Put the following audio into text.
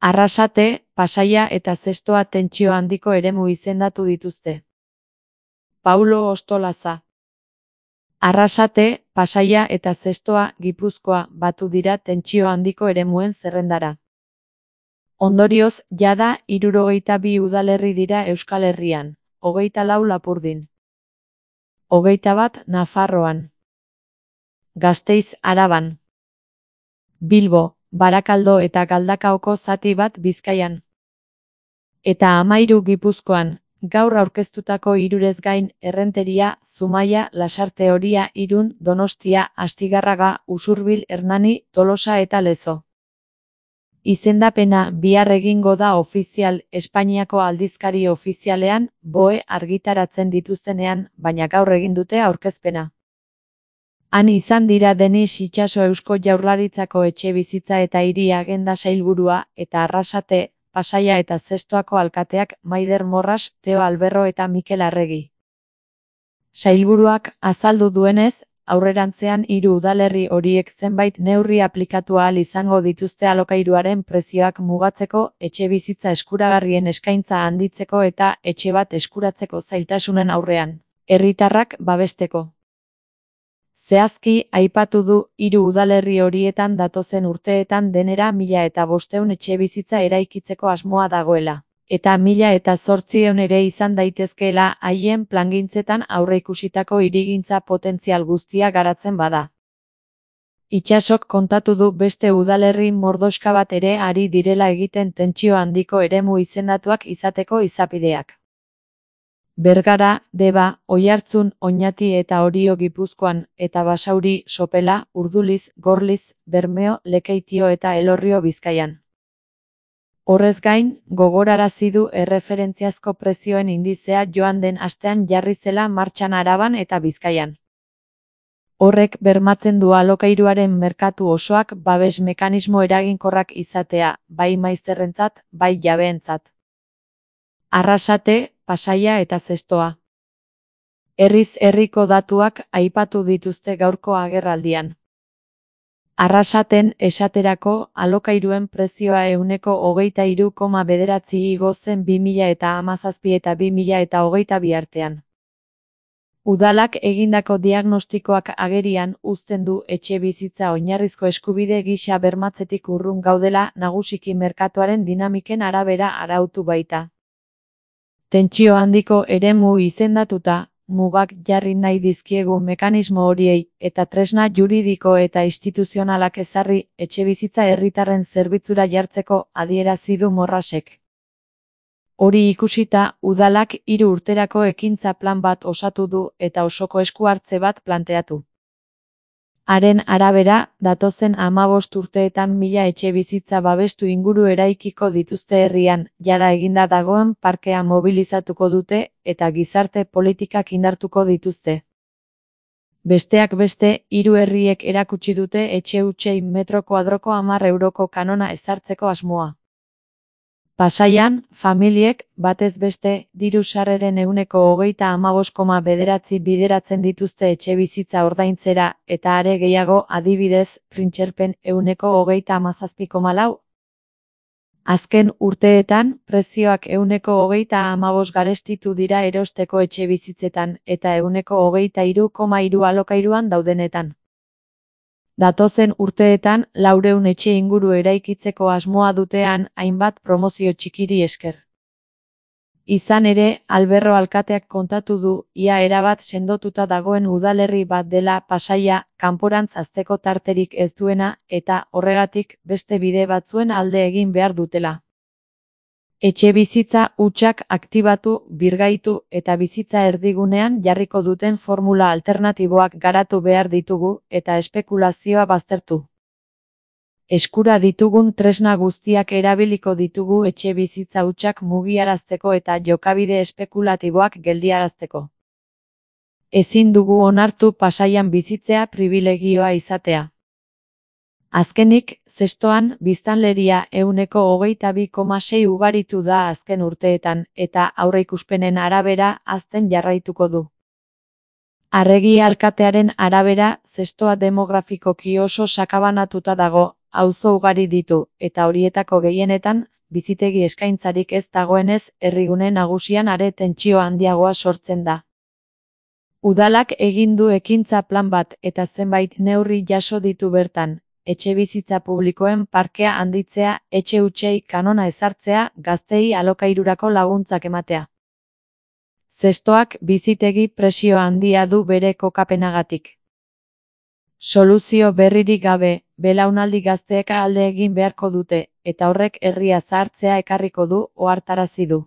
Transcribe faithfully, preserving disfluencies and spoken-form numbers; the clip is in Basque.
Arrasate, Pasaia eta Zestoa tentsio handiko eremu izendatu dituzte. Paulo Ostolaza. Arrasate, Pasaia eta Zestoa, Gipuzkoa, batu dira tentsio handiko eremuen zerrendara. Ondorioz, jada hirurogeita bi udalerri dira Euskal Herrian, hogeita lau Lapurdin. Hogeita bat Nafarroan. Gasteiz Araban. Bilbo, Barakaldo eta Galdakaoko zati bat Bizkaian. Eta hamahiru Gipuzkoan, gaur aurkeztutako hirurez gain Errenteria, Zumaia, Lasarte Oria, Irun, Donostia, Astigarraga, Usurbil, Hernani, Tolosa eta Lezo. Izendapena bihar egingo da ofizial Espainiako aldizkari ofizialean, B O E argitaratzen dituztenean, baina gaur egin dute aurkezpena. Han izan dira Denis Itxaso Eusko Jaurlaritzako Etxebizitza eta Hiri Agenda sailburua eta Arrasate, Pasaia eta Zestoako alkateak Maider Morras, Teo Alberro eta Mikel Arregi. Sailburuak azaldu duenez, aurrerantzean hiru udalerri horiek zenbait neurri aplikatu ahal izango dituzte alokairuaren prezioak mugatzeko, etxebizitza eskuragarrien eskaintza handitzeko eta etxe bat eskuratzeko zailtasunen aurrean, herritarrak babesteko. Zehazki, aipatu du, hiru udalerri horietan datozen urteetan denera mila eta bostehun etxebizitza eraikitzeko asmoa dagoela, eta mila eta zortziehun ere izan daitezkeela haien plangintzetan aurreikusitako hirigintza potentzial guztia garatzen bada. Itxasok kontatu du beste udalerri mordoxka bat ere ari direla egiten tentsio handiko eremu izendatuak izateko izapideak. Bergara, Deba, Oiartzun, Oñati eta Orio Gipuzkoan, eta Basauri, Sopela, Urduliz, Gorliz, Bermeo, Lekeitio eta Elorrio Bizkaian. Horrez gain, gogorarazi du erreferentziazko prezioen indizea joan den astean jarri zela martxan Araban eta Bizkaian. Horrek bermatzen du alokairuaren merkatu osoak babes mekanismo eraginkorrak izatea, bai maizterrentzat, bai jabeentzat. Arrasate, Pasaia eta Zestoa. Herriz herriko datuak aipatu dituzte gaurko agerraldian. Arrasaten esaterako alokairuen prezioa ehuneko hogeita hiru koma bederatzi igo zen bi mila eta hamazazpi eta bi mila eta hogeita bi artean. Udalak egindako diagnostikoak agerian uzten du etxebizitza oinarrizko eskubide gisa bermatzetik urrun gaudela nagusiki merkatuaren dinamiken arabera arautu baita. Tentsio handiko eremu izendatuta, mugak jarri nahi dizkiegu mekanismo horiei eta tresna juridiko eta instituzionalak ezarri etxebizitza herritarren zerbitzura jartzeko adierazi du Morrasek. Hori ikusita, udalak hiru urterako ekintza plan bat osatu du eta osoko esku hartze bat planteatu. Haren arabera, datozen hamabost urteetan mila etxebizitza babestu inguru eraikiko dituzte herrian, jada eginda dagoen parkea mobilizatuko dute eta gizarte politikak indartuko dituzte. Besteak beste, hiru herriek erakutsi dute etxe hutsei metro kuadroko hamar euroko kanona ezartzeko asmoa. Pasaian, familiek, batez beste, diru sarreren ehuneko hogeita hamabost koma bederatzi bideratzen dituzte etxebizitza ordaintzera, eta are gehiago adibidez, printxerpen ehuneko hogeita hamazazpi koma lau. Azken urteetan, prezioak ehuneko hogeita hamabost garestitu dira erosteko etxebizitzetan, eta ehuneko hogeita hiru koma hiru alokairuan daudenetan. Datozen urteetan, laurehun etxe inguru eraikitzeko asmoa dutean hainbat promozio txikiri esker. Izan ere, Alberro alkateak kontatu du, ia erabat sendotuta dagoen udalerri bat dela Pasaia, kanporantz hazteko tarterik ez duena, eta, horregatik, beste bide batzuen alde egin behar dutela. Etxebizitza hutsak aktibatu, birgaitu eta bizitza erdigunean jarriko duten formula alternatiboak garatu behar ditugu eta espekulazioa baztertu. Eskura ditugun tresna guztiak erabiliko ditugu etxebizitza hutsak mugiarazteko eta jokabide espekulatiboak geldiarazteko. Ezin dugu onartu Pasaian bizitzea pribilegioa izatea. Azkenik, Zestoan, biztanleria ehuneko hogeita bi koma sei ugaritu da azken urteetan, eta aurreikuspenen arabera hazten jarraituko du. Arregi alkatearen arabera, zestoa demografikoki oso sakabanatuta dago, auzo ugari ditu, eta horietako gehienetan, bizitegi eskaintzarik ez dagoenez, herrigune nagusian are tentsio handiagoa sortzen da. Udalak egin du ekintza plan bat eta zenbait neurri jaso ditu bertan, etxebizitza publikoen parkea handitzea, etxe hutsei kanona ezartzea, gazteei alokairurako laguntzak ematea. Zestoak bizitegi presio handia du bere kokapenagatik. Soluzio berririk gabe, belaunaldi gazteek alde egin beharko dute, eta horrek herria zahartzea ekarriko du, ohartarazi du.